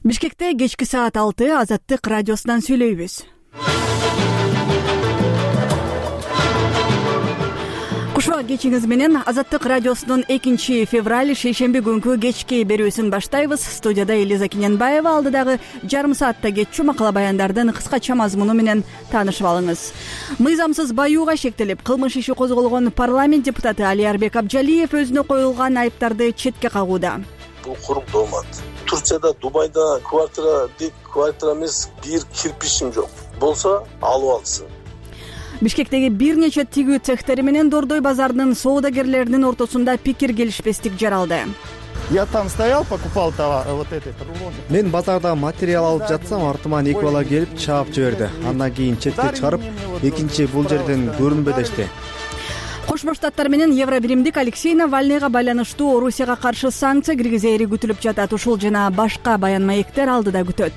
Бишкекте кечки саат 6 Азаттык радиосунан сүйлөйбүз. Кушуа кечиңиз менен Азаттык радиосунун 2 февраль шейшемби күнкү кечки берүүсүн баштайбыз. Студияда Элиза Киненбаева, алдыдагы жарым саатта кетчү макала баяндардын кыскача мазмуну менен таанышып алыңыз. Мыйзамсыз баюуга шектелип, кылмыш иши козголгон парламент депутаты Алиарбек Абжалиев өзүнө коюлган айыптарды четке кагууда. Бул курук доомат. Турцияда, Дубайда квартира эмес, бир кирпичим жок. Болсо алып алсын. Бишкектеги бир нече тигүү цехтери менен Дордой базарынын соодагерлеринин ортосунда пикир келишпестик жаралды. Я там стоял, покупал товар, вот этот рулон. Мен базарда материал алып жатсам, артыман эки бала келип чаап жиберди. Андан кийин четке чыгарып, экинчи бул жерден көрүнбө дешти. Кошмо Штаттар менен Евробиримдик Алексей Навальныйга байланыштуу Орусияга каршы санкция киргизери күтүлүп жатат. Ушул жана башка баян маектер алдыда күтөт.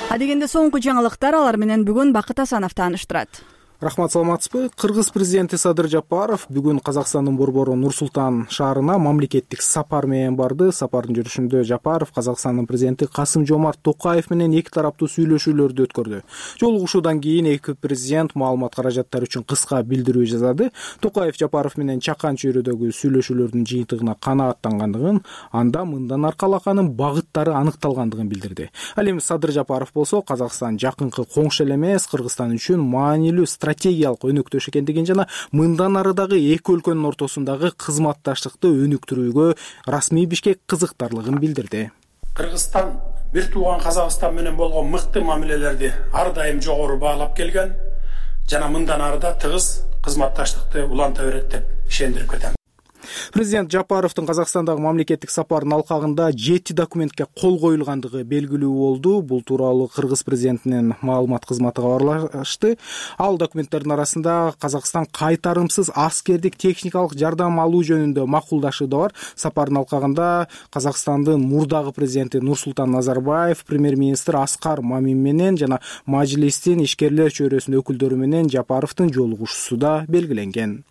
Адегенде соңку жаңылыктар, алар менен бүгүн Бакыт Асанов тааныштырат. Рахмат, саламатсызбы? Кыргыз президенти Садыр Жапаров бүгүн Казакстандын борбору Нур-Султан шаарына мамлекеттик сапар менен барды. Сапардын жүрүшүндө Жапаров Казакстандын президенти Касым-Жомарт Токаев менен эки тараптуу сүйлөшүүлөрдү өткөрдү. Жолугушуудан кийин эки президент маалымат каражаттары үчүн кыска билдирүү жасады. Токаев Жапаров менен чакан чөйрөдөгү сүйлөшүүлөрдүн жыйынтыгына канааттангандыгын, анда мындан аркалаканын багыттары аныкталгандыгын билдирди. Ал эми Садыр Жапаров болсо Казакстан жакынкы коңшу эле эмес, Кыргызстан үчүн маанилүү стратегиялык өнөктөш экендигин жана мындан ары дагы эки өлкөнүн ортосундагы кызматташтыкты өнүктүрүүгө расмий Бишкек кызыктарлыгын билдирди. Кыргызстан бир тууган Казакстан менен болгон мыкты мамилелерди ар дайым жогору баалап келген жана мындан ары да тыгыз кызматташтыкты уланта берет деп ишендирип кетем. Президент Жапаровдун Казакстандагы мамлекеттик сапарынын алкагында 7 документке кол коюлгандыгы белгилүү болду. Бул тууралуу Кыргыз президентинин маалымат кызматы кабарлашты. Ал документтердин арасында Казакстан кайтарымсыз аскердик техникалык жардам алуу жөнүндө макулдашуу да бар. Сапардын алкагында Казакстандын мурдагы президенти Нурсултан Назарбаев, премьер-министр Аскар Мамин менен жана Мажлистин ишкерлер чөйрөсүнүн өкүлдөрү менен Жапаровдун жолугушуусу да белгиленген.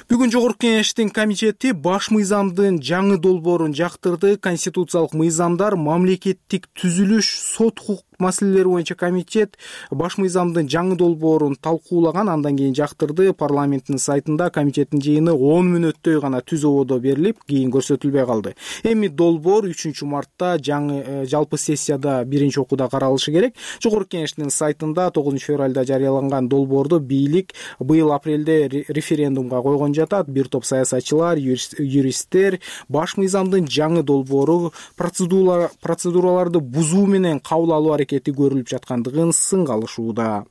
Бүгүн Жогорку Кеңештин комитети баш мыйзамдын жаңы долбоорун жактырды. Конституциялык мыйзамдар, мамлекеттик түзүлүш, сот укук маселелери боюнча комитет баш мыйзамдын жаңы долбоорун талкуулаган, андан кийин жактырды. Парламенттин сайтында комитеттин жыйыны 10 мүнөттөй гана түз ободо берилип, кийин көрсөтүлбөй калды. Эми долбоор 3 мартта жаңы жалпы сессияда биринчи окууда каралышы керек. Жогорку Кеңештин сайтында 9 февралда жарыяланган долбоорду бийлик быйыл апрелде референдумга койгон жатат. Бир топ саясатчылар, юристтер баш мыйзамдын жаңы долбоору процедураларды бузуу менен кабыл алуу аракети көрүлүп жаткандыгын сынга алышууда.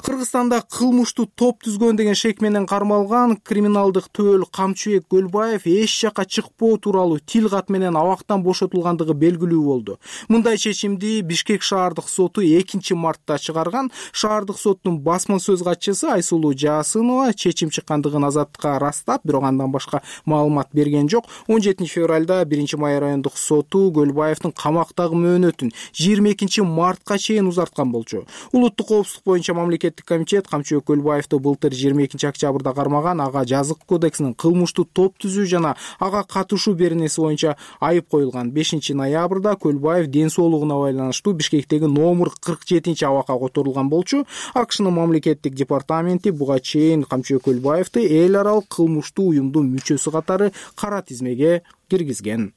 Кыргызстанда кылмыштуу топ түзгөн деген шек менен кармалган криминалдык төөл Камчыбек Көлбаев эч жакка чыкпоо тууралуу тил кат менен абактан бошотулгандыгы белгилүү болду. Мындай чечимди Бишкек шаардык соту 2 мартта чыгарган. Шаардык соттун басма сөз катчысы Айсулуу Жаасынова чечим чыккандыгын Азаттыкка ырастап, бирок андан башка маалымат берген жок. 17 февралда 1 май райондук соту Көлбаевдин камактагы мөөнөтүн 22 мартка чейин узарткан болчу. Улуттук коопсуздук боюнча мамлекеттик комитет Камчыбек Көлбаевди былтыр 22 октябрда кармаган. Ага жазык кодексинин кылмыштуу топ түзүү жана ага катышуу беренеси боюнча айып коюлган. 5 ноябрда Көлбаев ден соолугуна байланыштуу Бишкектеги номер 47 абакка которулган болчу. АКШнын мамлекеттик департаменти буга чейин Камчыбек Көлбаевди эл аралык кылмыштуу уюмдун мүчөсү катары кара тизмеге киргизген.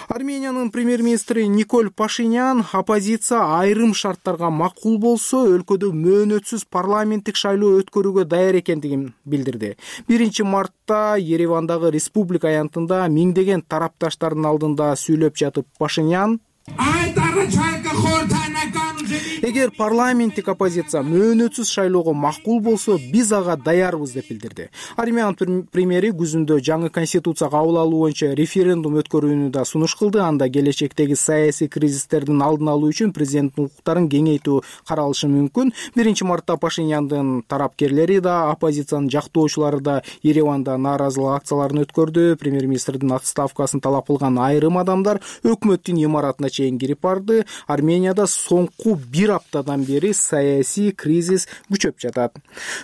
Армениянын премьер-министри Николь Пашинян оппозиция айрым шарттарга макул болсо өлкөдө мөөнөтсүз парламенттик шайлоо өткөрүүгө даяр экендигин билдирди. 1 мартта Еревандагы республика аянтында миңдеген тарапташтардын алдында сүйлөп жатып Пашинян: эгер парламенттик оппозиция мөөнөтсүз шайлоого макул болсо, биз ага даярбыз деп билдирди. Армян премьери күзүндө жаңы конституция кабыл алуу боюнча референдум өткөрүүнү да сунуш кылды. Анда келечектеги саясий кризистердин алдын алуу үчүн президенттин укуктарын кеңейтүү каралышы мүмкүн. 1 мартта Пашиняндын тарапкерлери да, оппозициянын жактоочулары да Ереванда нааразылык акцияларын өткөрдү. Премьер-министрдин отставкасын талап кылган айрым адамдар өкмөттүн имаратына чейин кирип барды. Арменияда соңку 1 аптадан бери саясий кризис күчөп жатат.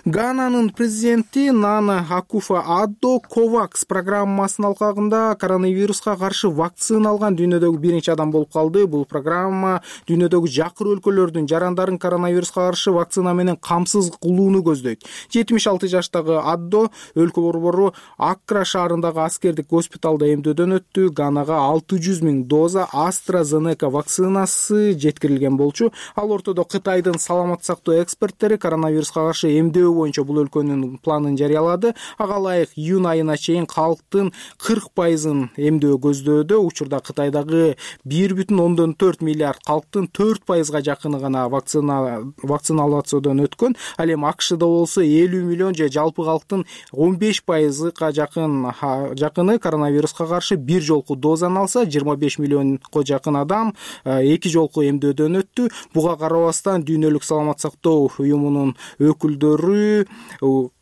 Гананын президенти Нана Акуфо-Аддо COVAX программасынын алкагында коронавируска каршы вакцина алган дүйнөдөгү биринчи адам болуп калды. Бул программа дүйнөдөгү жакыр өлкөлөрдүн жарандарын коронавируска каршы вакцина менен камсыз кылууну көздөйт. 76 жаштагы Аддо өлкө борбору Аккра шаарындагы аскердик госпиталда эмдөөдөн өттү. Ганага 600 000 доза AstraZeneca вакцинасы жеткирилген болчу. Ал ортодо Кытайдын саламат сактоо эксперттери коронавируска каршы эмдөө боюнча бул өлкөнүн планын жарыялады. Ага ылайык июнь айына чейин калктын 40% эмдөө көздөдө. Учурда Кытайдагы 1,4 миллиард калктын 4% жакыны гана вакциналациядон өткөн. Ал эми АКШда болсо 50 миллион же жалпы калктын 15%га жакыны коронавируска каршы бир жолку дозаны алса, 25 миллионго жакын адам эки жолку эмдөөдөн өттү. Буга карабастан дүйнөлүк саламат сактоо уюмунун өкүлдөрү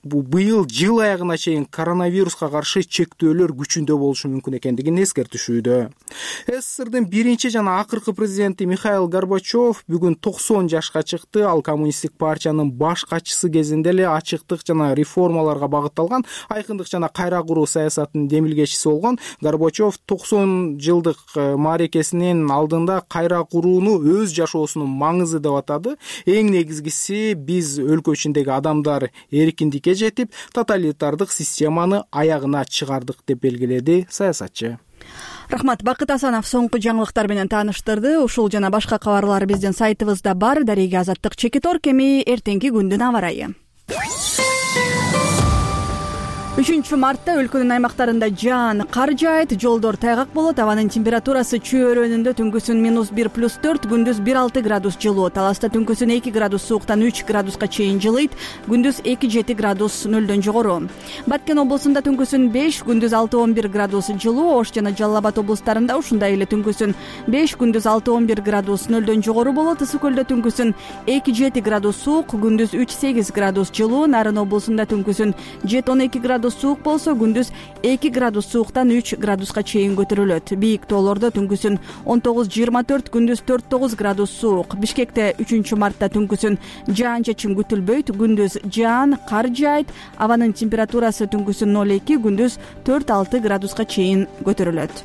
быйыл жыл аягына чейин коронавируска каршы чектөөлөр күчүндө болушу мүмкүн экендигин эскертишүүдө. СССРдын биринчи жана акыркы президенти Михаил Горбачев бүгүн 90 жашка чыкты. Ал коммунисттик партиянын баш катчысы кезинде эле ачыктык жана реформаларга багытталган айкындык жана кайра куруу саясатынын демилгечиси болгон. Горбачев 90 жылдык мааракесинин алдында кайра курууну өз жашоосунун маңызы деп атады. Эң негизгиси биз өлкө ичиндеги адамдар эркиндикке жетип, тоталитардык системаны аягына чыгардык деп белгиледи саясатчы. Рахмат. Бакыт Асанов соңку жаңылыктар менен тааныштырды. Ушул жана башка кабарлар биздин сайтыбызда бар. Дареги Азаттык Чекитор кеми эртеңки күндүн аба ырайы. 3 мартта өлкөнүн аймактарында жаан, кар жаайт, жолдор тайгак болот. Абанын температурасы чөйрөнүндө түнкүсүн -1+4, күндүз 1-6 градус жылуу. Таласта түнкүсүн 2 градус сууктан 3 градуска чейин жылыйт, күндүз 2-7 градус нөлдөн жогору. Баткен облусунда түнкүсүн 5, күндүз 6-11 градус жылуу. Ош жана Жалал Абад облустарында ушундай эле түнкүсүн 5, күндүз 6-11 градус нөлдөн жогору болот. Ысык көлдө түнкүсүн 2-7 градус суук, күндүз 3-8 градус жылуу. Нарын облусунда түнкүсүн 7-12 градус суук болсо, күндүз 2 градус сууктан 3 градуска чейин көтөрүлөт. Бийик тоолордо түнкүсүн 19-24, күндүз 4-9 градус суук. Бишкекте 3 мартта түнкүсүн жаан-чачын күтүлбөйт, күндүз жаан, кар жаайт. Абанын температурасы түнкүсүн 0-2, күндүз 4-6 градуска чейин көтөрүлөт.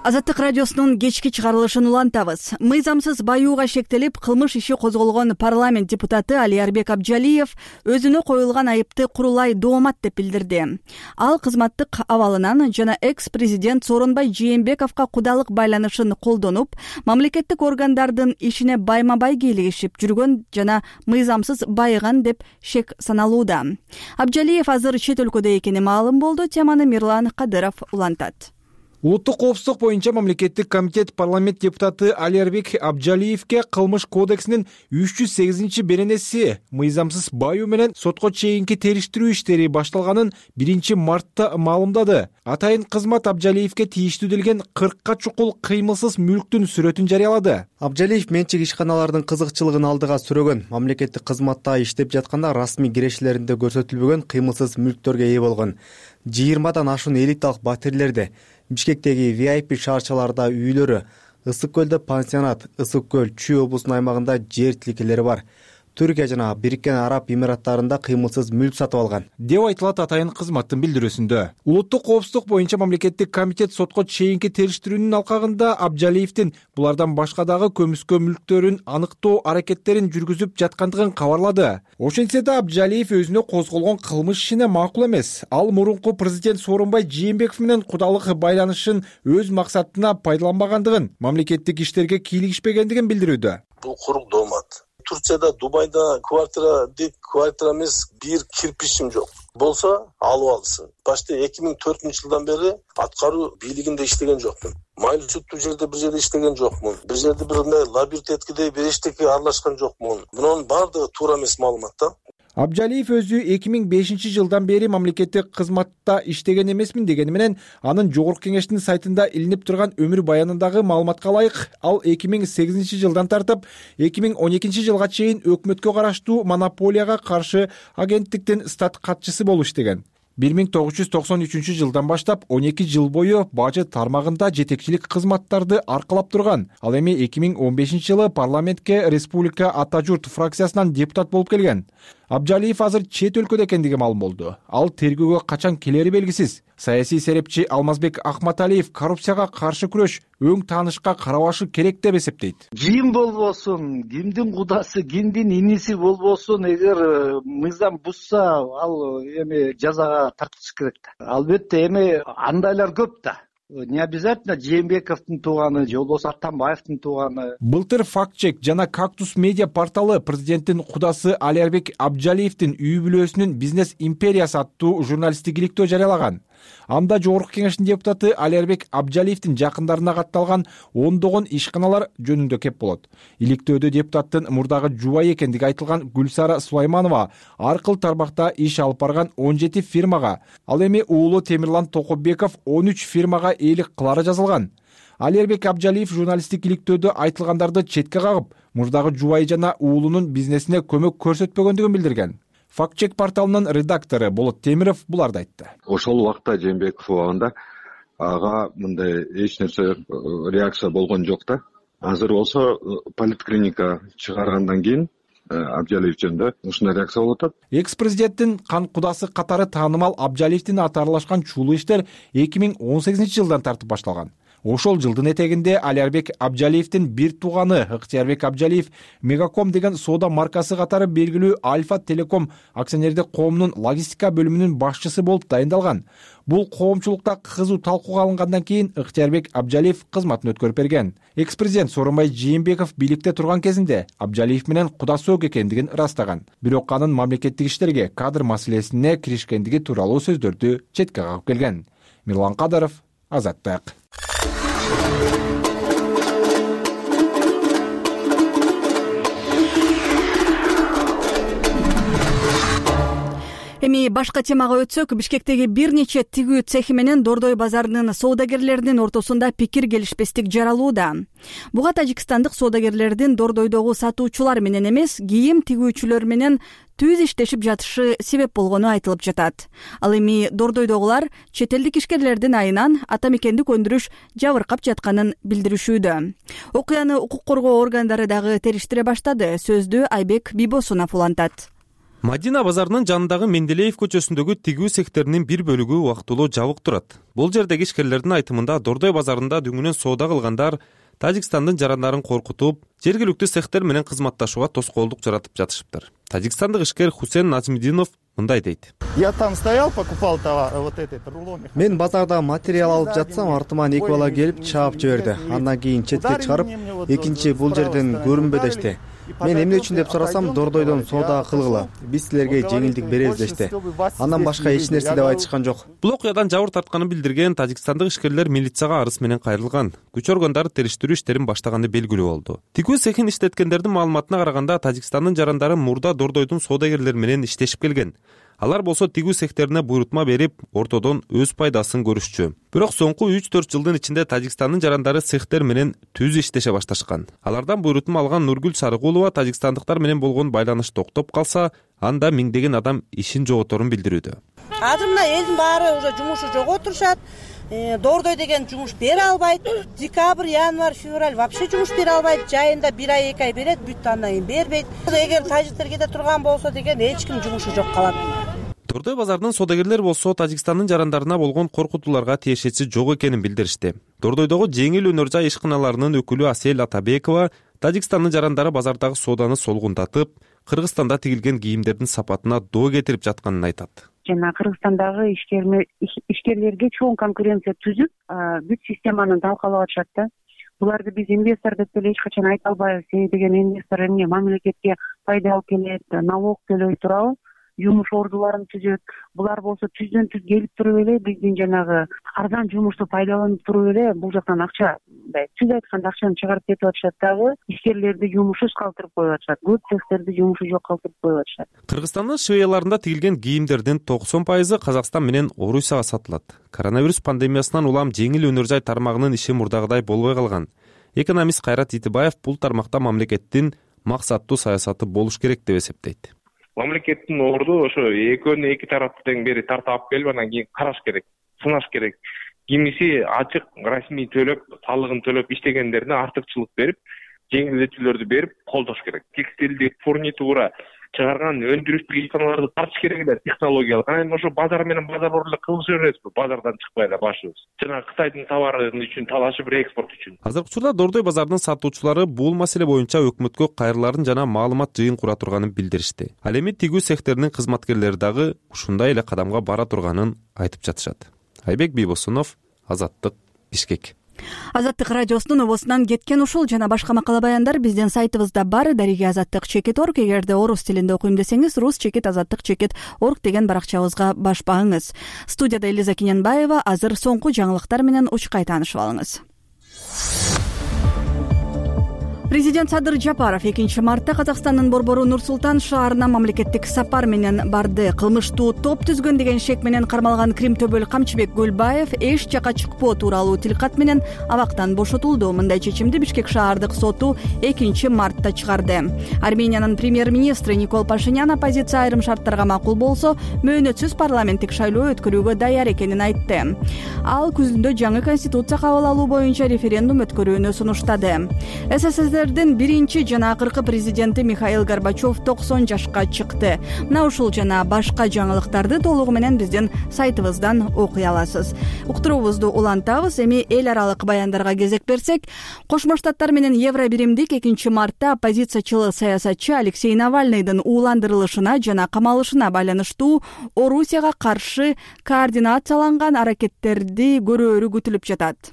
Азаттык радиосунун кечки чыгарылышын улантабыз. Мыйзамсыз баюуга шектелип, кылмыш иши козголгон парламент депутаты Алиарбек Абджалиев өзүнө коюлган айыпты курулай доомат деп билдирди. Ал кызматтык абалынан жана экс-президент Сооронбай Жээнбековго кудалык байланышын колдонуп, мамлекеттик органдардын ишине байма-бай кийлигишип жүргөн жана мыйзамсыз байыган деп шек саналууда. Абджалиев азыр чет өлкөдө экени маалым болду. Теманы Мирлан Кадыров улантат. Улуттук коопсуздук боюнча мамлекеттик комитет парламент депутаты Алиарбек Абджалиевке кылмыш кодексинин 308-беренеси мыйзамсыз баюу менен сотко чейинки териштирүү иштери башталганын 1-мартта маалымдады. Атайын кызмат Абджалиевке тийиштүү делген 40 чукул кыймылсыз мүлктүн сүрөтүн жарыялады. Абджалиев менчик ишканалардын кызыкчылыгын алдыга сүрөгөн. Мамлекеттик кызматта иштеп жатканда расмий кирешелеринде көрсөтүлбөгөн кыймылсыз мүлктөргө ээ болгон. 20дан ашуун элиталык батирлерди, Бишкектеги VIP шаарчаларда үйлөрү, Ысык көлдө пансионат, Ысык көл, Чүй облусунун аймагында жер тилкелери бар. Түркия жана Бириккен Араб Эмираттарында кыймылсыз мүлк сатып алган деп айтылат атайын кызматтын билдирүүсүндө. Улуттук коопсуздук боюнча мамлекеттик комитет сотко чейинки териштирүүнүн алкагында Абджалиевдин булардан башка дагы көмүскө мүлктөрүн аныктоо аракеттерин жүргүзүп жаткандыгын кабарлады. Ошентсе да Абджалиев өзүнө козголгон кылмыш ишине макул эмес. Ал мурунку президент Сооронбай Жээнбеков менен кудалык байланышын өз максатына пайдаланбагандыгын, мамлекеттик иштерге кийлигишпегендигин билдирүүдө. Бул курук доомат. Турцияда, Дубайда квартира эмес, бир кирпичим жок. Болсо алып алсын. Башта 2004 жылдан бери аткаруу бийлигинде иштеген жокмун. Майлуу сүттүү жерде бир жерде иштеген жокмун. Бир жерде бир лабиринт эткидей бир эчтеке аралашкан жокмун. Мунун баардыгы туура эмес маалымат да. Абджалиев өзү 2005 жылдан бери мамлекеттик кызматта иштеген эмесмин дегени менен анын жогорку кеңештин сайтында илинип турган өмүр баянындагы маалыматка ылайык ал 2008 жылдан тартып 2012 жылга чейин өкмөткө караштуу монополияга каршы агенттиктин стат катчысы болуп иштеген. 1993 баштап 12 жыл бою бажы тармагында жетекчилик кызматтарды аркалап турган. Ал эми 2015 парламентке Республика Ата журт фракциясынан депутат болуп келген. Абджалиев азыр чет өлкөдө экендиги маалым болду. Ал тергөөгө качан келери белгисиз. Саясий серепчи Алмазбек Ахматалиев коррупцияга каршы күрөш өң таанышка карабашы керек деп эсептейт. Ким болбосун, кимдин кудасы, кимдин иниси болбосун, эгер мыйзам бузса, ал эми жазага тартылыш керек да. Албетте эми андайлар көп да. Не обязательно Жээнбековдун тууганы же болбосо Атамбаевдин тууганы. Былтыр Фактчек жана Кактус медиа порталы президенттин кудасы Алиарбек Абджалиевдин үй бүлөсүнүн бизнес империясы аттуу журналисттик иликтөө жарыялаган. Анда жогорку кеңештин депутаты Алиарбек Абджалиевдин жакындарына катталган ондогон ишканалар жөнүндө кеп болот. Иликтөөдө депутаттын мурдагы жубайы экендиги айтылган Гүлсара Сулайманова аркыл тармакта иш алып барган 17 фирмага, ал эми уулу Темирлан Токобеков 13 фирмага ээлик кылары жазылган. Алиарбек Абджалиев журналисттик иликтөөдө айтылгандарды четке кагып, мурдагы жубайы жана уулунун бизнесине көмөк көрсөтпөгөндүгүн билдирген. Фактчек порталынын редактору Болот Темиров буларды айтты. Ошол убакта Жээнбеков убагында ага мындай эч нерсе реакция болгон жок да. Азыр болсо поликлиника чыгаргандан кийин Абджалиев жөнүндө ушундай реакция болуп атат. Экс-президенттин кан кудасы катары таанымал Абджалиевдин аты аралашкан чулуу иштер 2018 жылдан тартып башталган. Ошол жылдын этегинде Алиарбек Абджалиевдин бир тууганы Ыктыярбек Абджалиев Мегаком деген соода маркасы катары белгилүү Альфа Телеком акционердик коомунун логистика бөлүмүнүн башчысы болуп дайындалган. Бул коомчулукта кызуу талкууга алынгандан кийин Ыктыярбек Абджалиев кызматын өткөрүп берген. Экс-президент Сооронбай Жээнбеков бийликте турган кезинде Абджалиев менен кудасы ок экендигин ырастаган. Бирок анын мамлекеттик иштерге кадр маселесине киришкендиги тууралуу сөздөрдү четке кагып келген. Мирлан Кадыров, Азаттык. Эми башка темага өтсөк, Бишкектеги бир нече тигүү цехи менен Дордой базарынын соодагерлеринин ортосунда пикир келишпестик жаралууда. Буга тажикстандык соодагерлердин Дордойдогу сатуучулар менен эмес, кийим тигүүчүлөр менен түз иштешип жатышы себеп болгону айтылып жатат. Ал эми Дордойдогулар чет элдик ишкерлердин айынан ата мекендик өндүрүш жабыркап жатканын билдиришүүдө. Окуяны укук коргоо органдары дагы териштире баштады. Сөздү Айбек Бибосунов улантат. Мадина базарынын жанындагы Менделеев көчөсүндөгү тигүү цехтеринин бир бөлүгү убактылуу жабык турат. Бул жердеги ишкерлердин айтымында Дордой базарында дүңүнөн соода кылгандар Тажикстандын жарандарын коркутуп, жергиликтүү цехтер менен кызматташууга тоскоолдук жаратып жатышыптыр. Тажикстандык ишкер Хусен Назмидинов мындай дейт. Я там стоял, покупал товар, вот этот рулон. Мен базарда материал алып жатсам, артыман эки бала келип чаап жиберди. Андан кийин четке чыгарып, экинчи бул жерден көрүнбө дешти. Мен эмне үчүн деп сурасам, Дордойдон соода кылгыла. Биз силерге жеңилдик беребиз дешти. Андан башка эч нерсе деп айтышкан жок. Бул окуядан жабыр тартканын билдирген тажикстандык ишкерлер милицияга арыз менен кайрылган. Күч органдары териштирүү иштерин баштаганы белгилүү болду. Тигүү цехин иштеткендердин маалыматына караганда, Тажикстандын жарандары мурда Дордойдун соодагерлери менен иштешип келген. Алар болсо тигүү цехтерине буйрутма берип, ортодон өз пайдасын көрүшчү. Бирок соңку 3-4 жылдын ичинде Тажикстандын жарандары цехтер менен түз иштеше башташкан. Алардан буйрутма алган Нургүл Сарыгулова тажикстандыктар менен болгон байланыш токтоп калса, анда миңдеген адам ишин жоготорун билдирүүдө. Азыр мына элдин баары уже жумушу жоготурушат. Дордой деген жумуш бере албайт. Декабрь, январь, февраль вообще жумуш бере албайт. Жайында 1 ай 2 ай берет, бүт андан кийин бербейт. Эгер тажиктер кете турган болсо деген эч ким жумушу жок калат. Дордой базарынын соодагерлери болсо Тажикстандын жарандарына болгон коркутууларга тиешеси жок экенин билдиришти. Дордойдогу жеңил өнөр жай ишканаларынын өкүлү Асель Атабекова Тажикстандын жарандары базардагы сооданы солгунтатып, Кыргызстанда тигилген кийимдердин сапатына доо кетирип жатканын айтат. Жана Кыргызстандагы ишкерлерге чоң конкуренция түзүп, бүт системаны талкалап атышат да. Буларды биз инвестор деп деле эч качан айта албайбыз. Деген инвестор эмне мамлекетке пайда алып келет, налог төлөй турабы, жумуш ордуларын түзөт. Булар болсо түздөн түз келип туруп эле биздин жанагы арзан жумушту пайдаланып туруп эле бул жактан акча, түз айтканда акчаны чыгарып кетип атышат дагы, ишкерлерди жумушсуз калтырып коюп атышат. Көп цехтерди жумушу жок калтырып коюп атышат. Кыргызстандын швеяларында тигилген кийимдердин 90% Казакстан менен Орусияга сатылат. Коронавирус пандемиясынан улам жеңил өнөр жай тармагынын иши мурдагыдай болбой калган. Экономист Кайрат Итибаев бул тармакта мамлекеттин максаттуу саясаты болуш керек деп эсептейт. мамлекеттин орду ошо экөөнү эки тарапты тең бери тарта алып келип анан кийин караш керек, сынаш керек. Кимиси ачык расмий төлөп, салыгын төлөп иштегендерине артыкчылык берип, жеңилдетүүлөрдү берип колдош керек. Текстилдик фурнитура чыгарган өндүрүштүк ишканаларды тартыш керек эле технологиялык. Анан ошу базар менен базар эле кылыша бересизби? Базардан чыкпай эле башыбыз. Жана Кытайдын товарын үчүн талашып, реэкспорт үчүн. Азыркы учурда Дордой базарынын сатуучулары бул маселе боюнча өкмөткө кайрыларын жана маалымат жыйын кура турганын билдиришти. Ал эми тигүү сехтеринин кызматкерлери дагы ушундай эле кадамга бара турганын айтып жатышат. Айбек Бийбосунов, Азаттык, Бишкек. Азаттык радиосунун обосунан кеткен ушул жана башка макала баяндар биздин сайтыбызда бар. Дариги-Азаттык.org. Эгерде орус тилинде окуйм десеңиз, rus-azattik.org деген баракчабызга баш багыңыз. Студияда Элиза Кененбаева. Азыр соңку жаңылыктар менен учкай таанышып алыңыз. Президент Садыр Жапаров 2 мартта Казакстандын борбору Нур-Султан шаарына мамлекеттик сапар менен барды. Кылмыштуу топ түзгөн деген шек менен кармалган Крим төбөл Камчыбек Гүлбаев эч жака чыкпоо тууралуу тилкат менен абактан бошотулду. Мындай чечимди Бишкек шаардык соту 2 мартта чыгарды. Армениянын премьер-министри Никол Пашинян оппозиция айрым шарттарга макул болсо, мөөнөтсүз парламенттик шайлоо өткөрүүгө даяр экенин айтты. Ал күзүндө жаңы конституция кабыл алуу боюнча референдум өткөрүүнү сунуштады. СССРдин биринчи жана акыркы президенти Михаил Горбачев 90 жашка чыкты. Мына ушул жана башка жаңылыктарды толугу менен биздин сайтыбыздан окуй аласыз. Уктуруубузду улантабыз. Эми эл аралык баяндарга кезек берсек, Кошмо Штаттар менен Евробиримдик 2 мартта оппозициячыл саясатчы Алексей Навальныйдын ууландырылышына жана камалышына байланыштуу Орусияга каршы координацияланган аракеттерди көрөөрү күтүлүп жатат.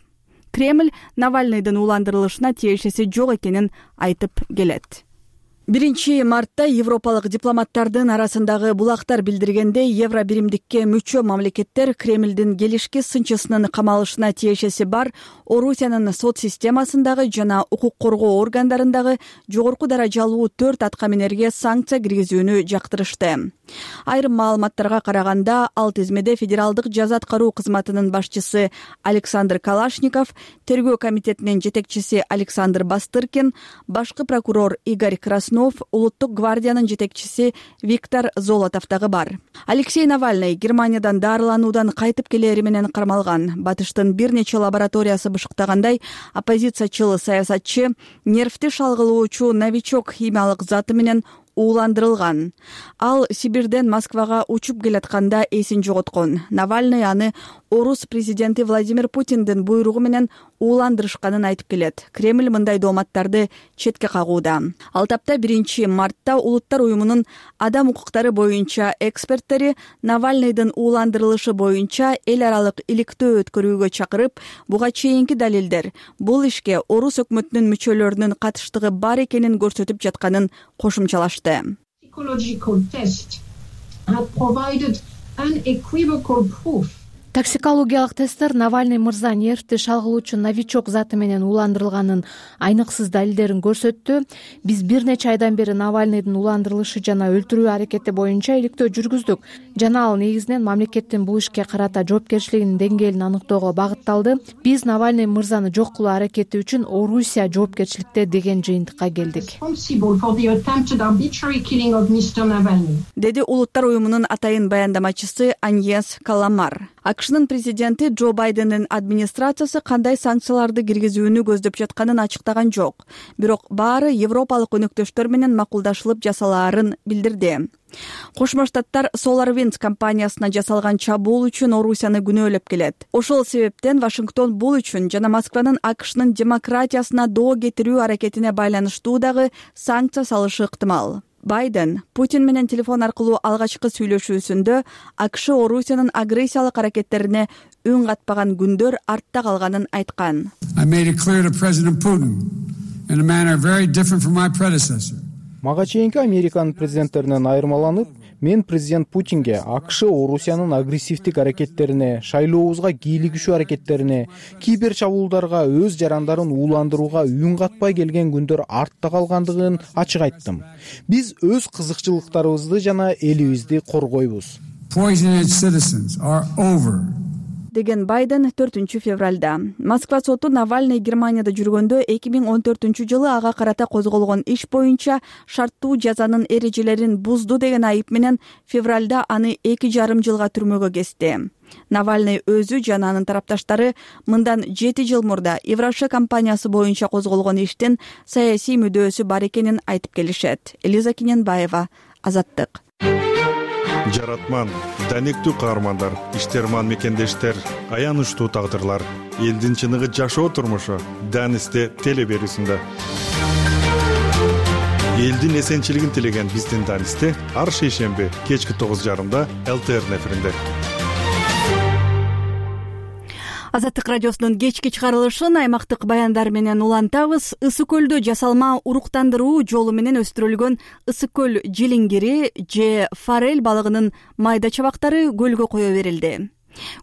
Кремль Навальныйдын ууландырылышына тиешеси жок экенин айтып келет. 1 мартта европалык дипломаттардын арасындагы булактар билдиргендей, Евробиримдикке мүчө мамлекеттер Кремлдин келишки сынчысынын камалышына тиешеси бар Орусиянын сот системасындагы жана укук коргоо органдарындагы жогорку даражалуу 4 аткаминерге санкция киргизүүнү жактырышты. Айрым маалыматтарга караганда, ал тизмеде федералдык жаза аткаруу кызматынын башчысы Александр Калашников, тергөө комитетинин жетекчиси Александр Бастыркин, башкы прокурор Игорь Краснов, улуттук гвардиянын жетекчиси Виктор Золотов дагы бар. Алексей Навальный Германиядан дарылануудан кайтып келери менен кармалган. Батыштын бир нече лабораториясы бышыктагандай, оппозициячыл саясатчы нервти шалгылоочу новичок химиялык заты менен ууландырылган. Ал Сибирден Москвага учуп келатканда эсин жоготкон. Навальный аны орус президенти Владимир Путиндин буйругу менен ууландырышканын айтып келет. Кремль мындай дооматтарды четке кагууда. Ал тапта 1 мартта Улуттар уюмунун адам укуктары боюнча эксперттери Навальныйдын ууландырылышы боюнча эл аралык иликтөө өткөрүүгө чакырып, буга чейинки далилдер бул ишке орус өкмөтүнүн мүчөлөрүнүн катыштыгы бар экенин көрсөтүп жатканын кошумчалашты. Psychological test had provided unequivocal proof. Токсикологиялык тесттер Навальный мырза нервти шалгылоочу новичок заты менен ууландырылганын айныксыз далилдерин көрсөттү. Биз бир нече айдан бери Навальныйдын ууландырылышы жана өлтүрүү аракети боюнча иликтөө жүргүздүк жана ал негизинен мамлекеттин бул ишке карата жоопкерчилигинин деңгээлин аныктоого багытталды. Биз Навальный мырзаны жок кылуу аракети үчүн Орусия жоопкерчиликте деген жыйынтыкка келдик, деди Улуттар уюмунун атайын баяндамачысы Аньес Каламар. АКШнын президенти Джо Байдендин администрациясы кандай санкцияларды киргизүүнү көздөп жатканын ачыктаган жок. Бирок баары европалык өнөктөштөр менен макулдашылып жасалаарын билдирди. Кошмо Штаттар SolarWinds компаниясына жасалган чабуул үчүн Орусияны күнөөлөп келет. Ошол себептен Вашингтон бул үчүн жана Москванын АКШнын демократиясына доо кетирүү аракетине байланыштуу дагы санкция салышы ыктымал. Байден Путин менен телефон аркылуу алгачкы сүйлөшүүсүндө АКШ Орусиянын агрессиялык аракеттерине үн катпаган күндөр артта калганын айткан. Мага чейинки Американын президенттеринен айырмаланып, мен президент Путинге АКШ Орусиянын агрессивдик аракеттерине, шайлообузга кийлигишүү аракеттерине, кибер чабуулдарга, өз жарандарын ууландырууга үн катпай келген күндөр артта калгандыгын ачык айттым. Биз өз кызыкчылыктарыбызды жана элибизди коргойбуз. деген Байден 4-февралда. Москва соту Навальный Германияда жүргөндө 2014-жылы ага карата козголгон иш боюнча шарттуу жазанын эрежелерин бузду деген айып менен февралда аны 2,5 жылга түрмөгө кести. Навальный өзү жана анын тарапташтары мындан 7 жыл мурда Евроша компаниясы боюнча козголгон иштин саясий мүдөөсү бар экенин айтып келишет. Элиза Киненбаева, Азаттык. Жаратман, данектүү каармандар, иштерман мекендештер, аянычтуу тагдырлар, элдин чыныгы жашоо турмушу Данисте телеберүүсүндө. Элдин эсенчилигин тилеген биздин Данисте ар шейшемби кечки 9:30 ЛТР эфиринде. Азаттык радиосунун кечки чыгарылышын аймактык баяндар менен улантабыз. Ысык көлдө жасалма уруктандыруу жолу менен өстүрүлгөн ысык көл жилиңгири же форель балыгынын майда чабактары көлгө кое берилди.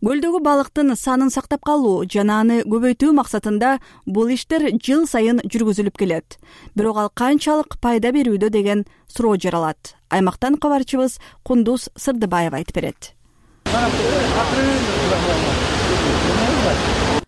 Көлдөгү балыктын санын сактап калуу жана аны көбөйтүү максатында бул иштер жыл сайын жүргүзүлүп келет. Бирок ал канчалык пайда берүүдө деген суроо жаралат. Аймактан кабарчыбыз Кундуз Сырдыбаева айтып берет.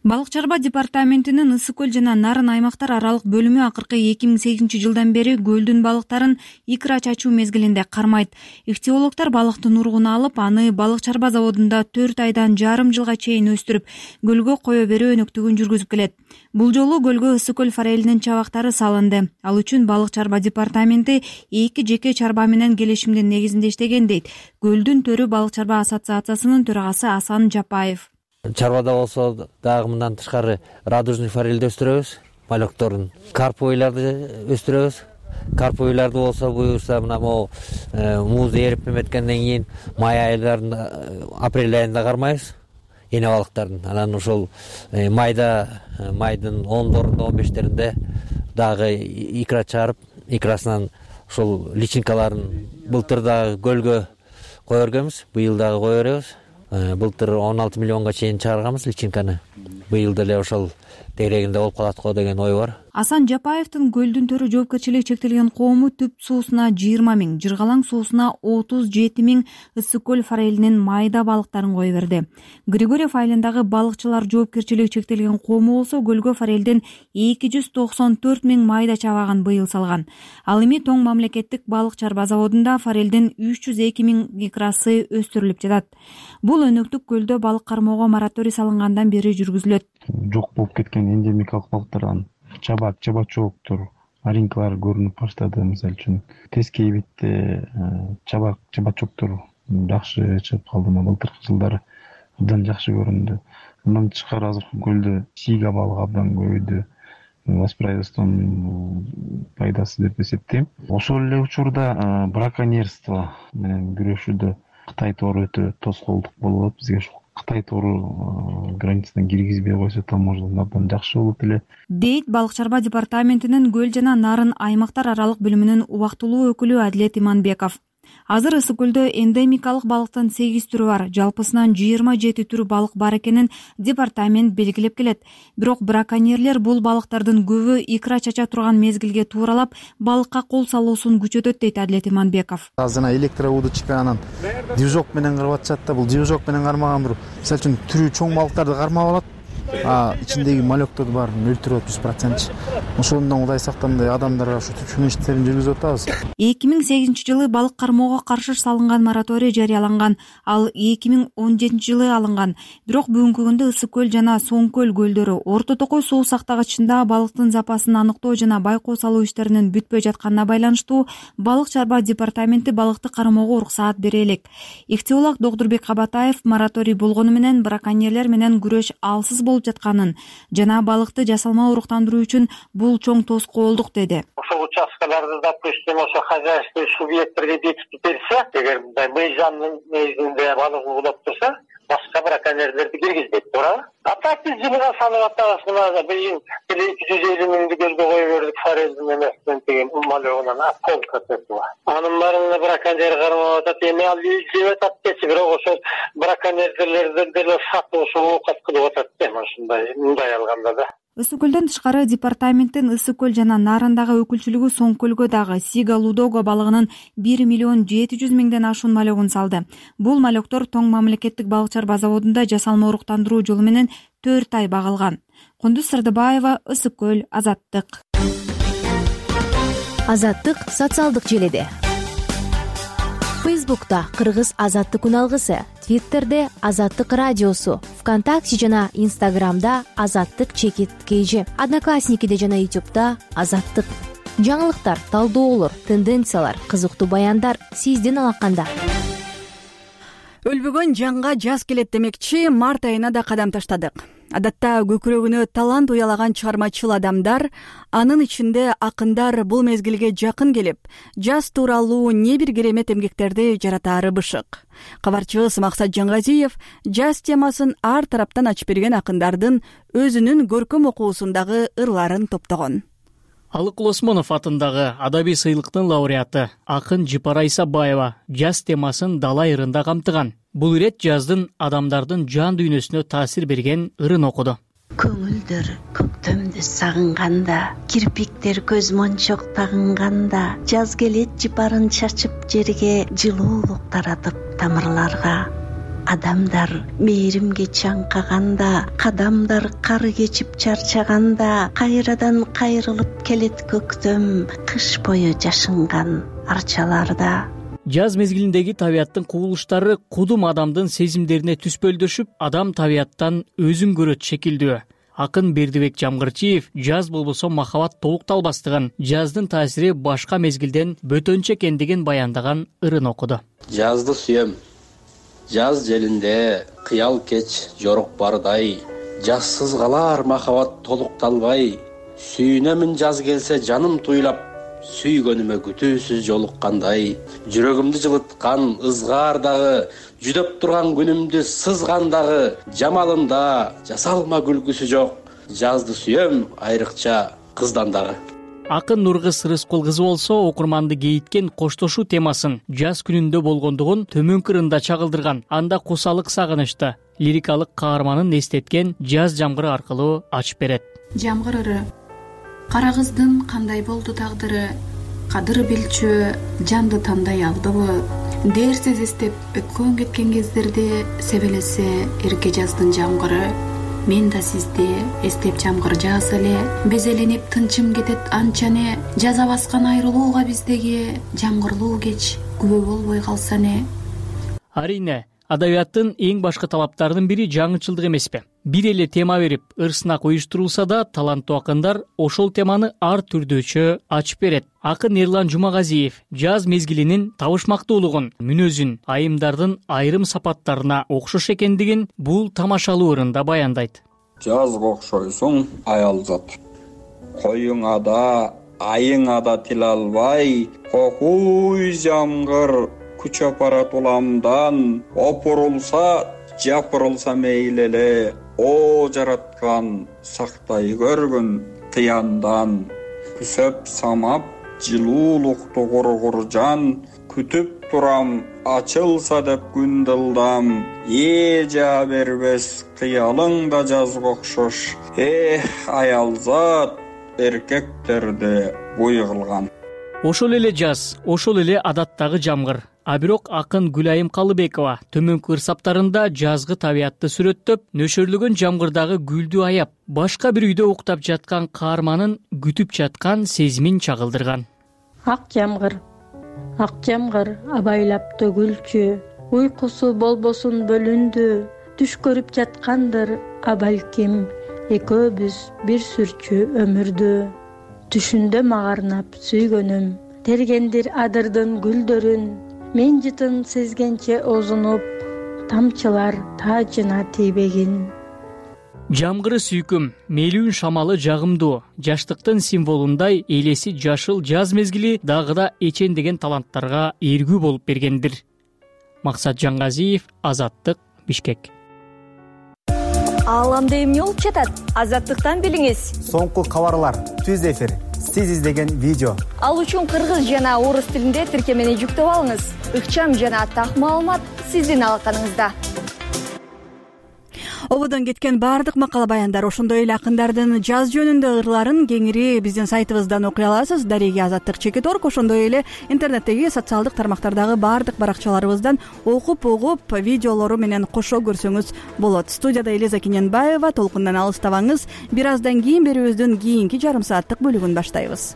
Балык чарба департаментинин ысык көл жана нарын аймактар аралык бөлүмү акыркы 2008-жылдан бери көлдүн балыктарын икра чачуу мезгилинде кармайт. Ихтиологдор балыктын уругун алып, аны балык чарба заводунда 4 айдан жарым жылга чейин өстүрүп, көлгө кое берүү өнөктүгүн жүргүзүп келет. Бул жолу көлгө ысык көл форелинин чабактары салынды. Ал үчүн балык чарба департаменти 2 жеке чарба менен келишимдин негизинде иштеген дейт Көлдүн төрү балык чарба ассоциациясынын төрагасы Асан Жапаев. Чарбада болсо дагы мындан тышкары радужный форельди өстүрөбүз, малёкторун, карповыйларды өстүрөбүз. Карповыйларды болсо буюрса мына могу муз эрип эметкенден кийин май айларын апрель айында кармайбыз. Эне балыктардын. Анан ошол майдын 10-дорунда 15-теринде дагы икра чыгарып, икрасынан ошол личинкаларын былтыр дагы көлгө кое бергенбиз, быйыл дагы кое беребиз. Былтыр 16 миллионга чейин чыгарганбыз личинканы. Быйыл деле ошол тегерегинде болуп калат го деген ой бар. Асан Жапаевдин көлдүн төрү жоопкерчилиги чектелген коому түп суусуна 20 000, жыргалаң суусуна 37 000 ысык көл форелинин майда балыктарын кое берди. Григорьев айылындагы балыкчылар жоопкерчилиги чектелген коому болсо көлгө форелдин 294 000 майда чабагын быйыл салган. Ал эми Тоң мамлекеттик балык чарба заводунда форелдин 302 000 икрасы өстүрүлүп жатат. Бул өнөктүк көлдө балык кармоого мораторий салынгандан бери жүргүзүлөт. Жок болуп кеткен эндемикалык балыктардан чабак, чабачоктор, аринкалар көрүнүп баштады. Мисалы үчүн Тескей бетте чабак, чабачоктор жакшы чыгып калды. Былтыркы жылдары абдан жакшы көрүндү. Мындан тышкары азыркы көлдө сига балыгы абдан көбөйдү. Воспроизводствонун пайдасы деп эсептейм. Ошол эле учурда браконьерство менен күрөшүүдө Кытай тору өтө тоскоолдук болуп атат. Бизге ушул Кытай тору границадан киргизбей койсо таможнядан абдан жакшы болот эле. Дейт балык чарба департаментинин көл жана нарын аймактар аралык бөлүмүнүн убактылуу өкүлү Адилет Иманбеков. Азыр ысык көлдө эндемикалык балыктын 8 түрү бар, жалпысынан 27 түрү балык бар экенин департамент белгилеп келет. Бирок браконьерлер бул балыктардын көбү икра чача турган мезгилге тууралап, балыкка кол салуусун күчөтөт дейт Адилет Иманбеков. Азыр электроудочка анан движок менен карап атышат да, бул движок менен кармаган бир, мисалы үчүн түрү чоң балыктарды кармап алат. Ичиндеги малёктор баарын өлтүрүп атат 100%. Ошондон Кудай сактагандай адамдарга ушу түшүнүү иштерин жүргүзүп атабыз. 2008-жылы балык кармоого каршы салынган мораторий жарыяланган. Ал 2017-жылы алынган. Бирок бүгүнкү күндө ысык көл жана Соң көл көлдөрү Орто Токой суу сактагычында балыктын запасын аныктоо жана байкоо салуу иштеринин бүтпөй жатканына байланыштуу балык чарба департаменти балыкты кармоого уруксаат бере элек. Ихтиолог Докторбек Кабатаев мораторий болгону менен браконьерлер менен күрөш алсыз болуп жатканын жана балыкты жасалма уруктандыруу үчүн бул чоң тоскоолдук деди. Ошол участкаларды, допустим, ошо хозяйственный субъекттерге бекитип берсе, эгер мындай мыйзамдын негизинде балык уулап турса, башка браконьерлерди киргизбейт, туурабы? А так биз жылга санап атабыз, мына быйыл 250 000 көлгө кое бердик форелдин эмесинен деген малёгунан полка тетип. Анын баарына браконьер кармап атат, эми ал издеп атат дечи, бирок ошол браконьерлерден деле сатып ошо оокат кылып атат да, мындай алганда да. Ысык көлдөн тышкары департаменттин Ысык көл жана Нарындагы өкүлчүлүгү Соң көлгө дагы сига лудого балыгынын 1 миллион 700 миңден ашуун малегин салды. Бул малектор Тоң мамлекеттик балык чарба заводунда жасалма уруктандыруу жолу менен 4 ай багылган. Кундуз Сырдыбаева, Ысык көл, Азаттык. Азаттык социалдык желиде. Фейсбукта Кыргыз Азаттык үналгысы, Твиттерде Азаттык радиосу, ВКонтакте жана Инстаграмда Азаттык_KG, Одноклассникиде жана Ютубта Азаттык. Жаңылыктар, талдоолор, тенденциялар, кызыктуу баяндар сиздин алаканда. Өлбөгөн жанга жаз келет демекчи, март айына да кадам таштадык. Адатта көкүрөгүнө талант уялаган чыгармачыл адамдар, анын ичинде акындар бул мезгилге жакын келип, жаз тууралуу не бир керемет эмгектерди жаратаары бышык. Кабарчыбыз Максат Жангазиев жаз темасын ар тараптан ачып берген акындардын өзүнүн көркөм окуусундагы ырларын топтогон. Алыкул Осмонов атындагы адабий сыйлыктын лауреаты акын Жыпара Исабаева жаз темасын дала ырында камтыган. Бул ирет жаздын адамдардын жан дүйнөсүнө таасир берген ырын окуду. Көңүлдөр көктөмдү сагынганда, кирпиктер көз мончок тагынганда, жаз келет жыпарын чачып жерге, жылуулук таратып тамырларга. Адамдар мээримге чаңкаганда, кадамдар кары кечип чарчаганда, кайрадан кайрылып келет көктөм, кыш бою жашынган арчаларда. Жаз мезгилиндеги табияттын кубулуштары кудум адамдын сезимдерине түспөлдөшүп, адам табияттан өзүн көрөт шекилдүү. Акын Бердибек Жамгырчиев жаз болбосо махабат толукталбастыгын, жаздын таасири башка мезгилден бөтөнчө экендигин баяндаган ырын окуду. Жазды сүйөм. Жаз желинде кыял кеч жорок бардай, жазсыз калар махабат толукталбай. Сүйүнөмүн жаз келсе жаным туйлап, сүйгөнүмө күтүүсүз жолуккандай. Жүрөгүмдү жылыткан ызгаар дагы, жүдөп турган күнүмдү сызган дагы, жамалында жасалма күлкүсү жок. Жазды сүйөм айрыкча кыздан дагы. Акын Нургыз Рыскул кызы болсо окурманды кейиткен коштошуу темасын жаз күнүндө болгондугун төмөнкү ырында чагылдырган. Анда кусалык сагынычты лирикалык каарманын эстеткен жаз жамгыры аркылуу ачып берет. Жамгыр ыры. Кара кыздын кандай болду тагдыры, кадыр билчү жанды тандай алдыбы, дээрсиз эстеп өткөн кеткен кездерде себелесе эрке жаздын жамгыры. Мен да сизди эстеп жамгыр жааса эле, безеленип тынчым кетет анчане, жаза баскан айрылууга биздеги жамгырлуу кеч күбө болбой калса не. Арине, адабияттын эң башкы талаптарынын бири жаңычылдык эмеспи? Бир эле тема берип, ыр-сынак уюштурулса да, таланттуу акындар ошол теманы ар түрдүүчө ачып берет. Акын Эрлан Жумагазиев жаз мезгилинин табышмактуулугун, мүнөзүн, айымдардын айрым сапаттарына окшош экендигин бул тамашалуу ырында баяндайт. Жазга окшойсуң аялзат. Коюңа да, айыңа да тил албай, кокуй жамгыр күч апарат уламдан, опурулса, жапырылса мейли эле. О жараткан сактай көргүн кыяндан, күсөп самап жылуулукту кургур жан, күтүп турам ачылса деп күн дылдам, жаа бербес кыялың да жазга окшош. Аялзат эркектерде буй кылган. Ошол эле жаз, ошол эле адаттагы жамгыр. А бирок акын Гүлайым Калыбекова төмөнкү ырсаптарында жазгы табиятты сүрөттөп, нөшөрлөгөн жамгырдагы гүлдү аяп, башка бир үйдө уктап жаткан каарманын күтүп жаткан сезимин чагылдырган. Ак жамгыр абайлап төгүлчү, уйкусу болбосун бөлүндү, түш көрүп жаткандыр абалким, экөөбүз бир сүрчү өмүрдү. Түшүндө магарнап сүйгөнүм, тергендир адырдын гүлдөрүн, мен жытын сезгенче озунуп, тамчылар таажына тийбегин. Жамгыры сүйкүм, мелүүн шамалы жагымдуу, жаштыктын символундай элеси жашыл жаз мезгили дагы да эчендеген таланттарга эргүү болуп бергендир. Максат Жангазиев, Азаттык, Бишкек. Ааламда эмне болуп жатат? Азаттыктан билиңиз. Соңку кабарлар, түз эфир, сиз издеген видео. Ал үчүн кыргыз жана орус тилинде тиркемени жүктөп алыңыз. Ыкчам жана так маалымат сиздин алаканыңызда. ободон кеткен баардык макала баяндар, ошондой эле акындардын жаз жөнүндө ырларын кеңири биздин сайтыбыздан окуй аласыз. Дареги Азаттык Чекит.org, ошондой эле интернеттеги социалдык тармактардагы баардык баракчаларыбыздан окуп видеолору менен кошо көрсөңүз болот. Студияда Элиза Кененбаева. Толкундан алыстабаңыз. Бир аздан кийин берүүбүздүн кийинки жарым сааттык бөлүгүн баштайбыз.